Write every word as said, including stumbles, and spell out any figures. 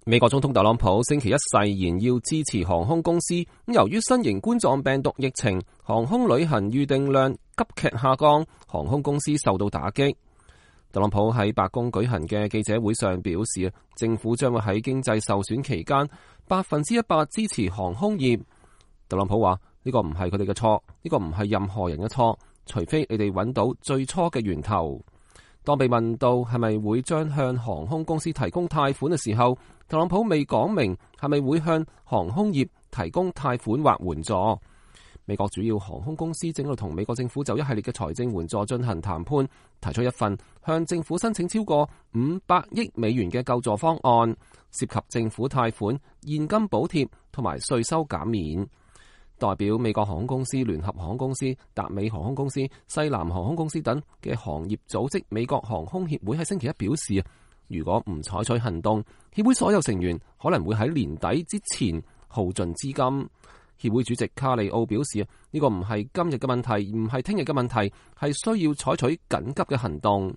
美國總統特朗普星期一誓言要支持航空公司，由於新型冠狀病毒疫情，航空旅行預訂量急劇下降，航空公司受到打擊。特朗普喺白宮舉行嘅記者會上表示，政府將會喺經濟受損期間百分之一百支持航空業。特朗普話：呢個唔係佢哋嘅錯，呢個唔係任何人嘅錯，除非你哋揾到最初嘅源頭。當被問到係咪會將向航空公司提供貸款嘅時候，特朗普未講明係咪會向航空業提供貸款或援助。美國主要航空公司正喺度同美國政府就一系列嘅財政援助進行談判，提出一份向政府申請超過五百億美元嘅救助方案，涉及政府貸款、現金補貼同埋稅收減免。代表美國航空公司、聯合航空公司、達美航空公司、西南航空公司等嘅行業組織美國航空協會喺星期一表示，如果唔採取行動，協會所有成員可能會喺年底之前耗盡資金。協會主席卡里奧表示，呢個唔係今日嘅問題，唔係聽日嘅問題，係需要採取緊急嘅行動。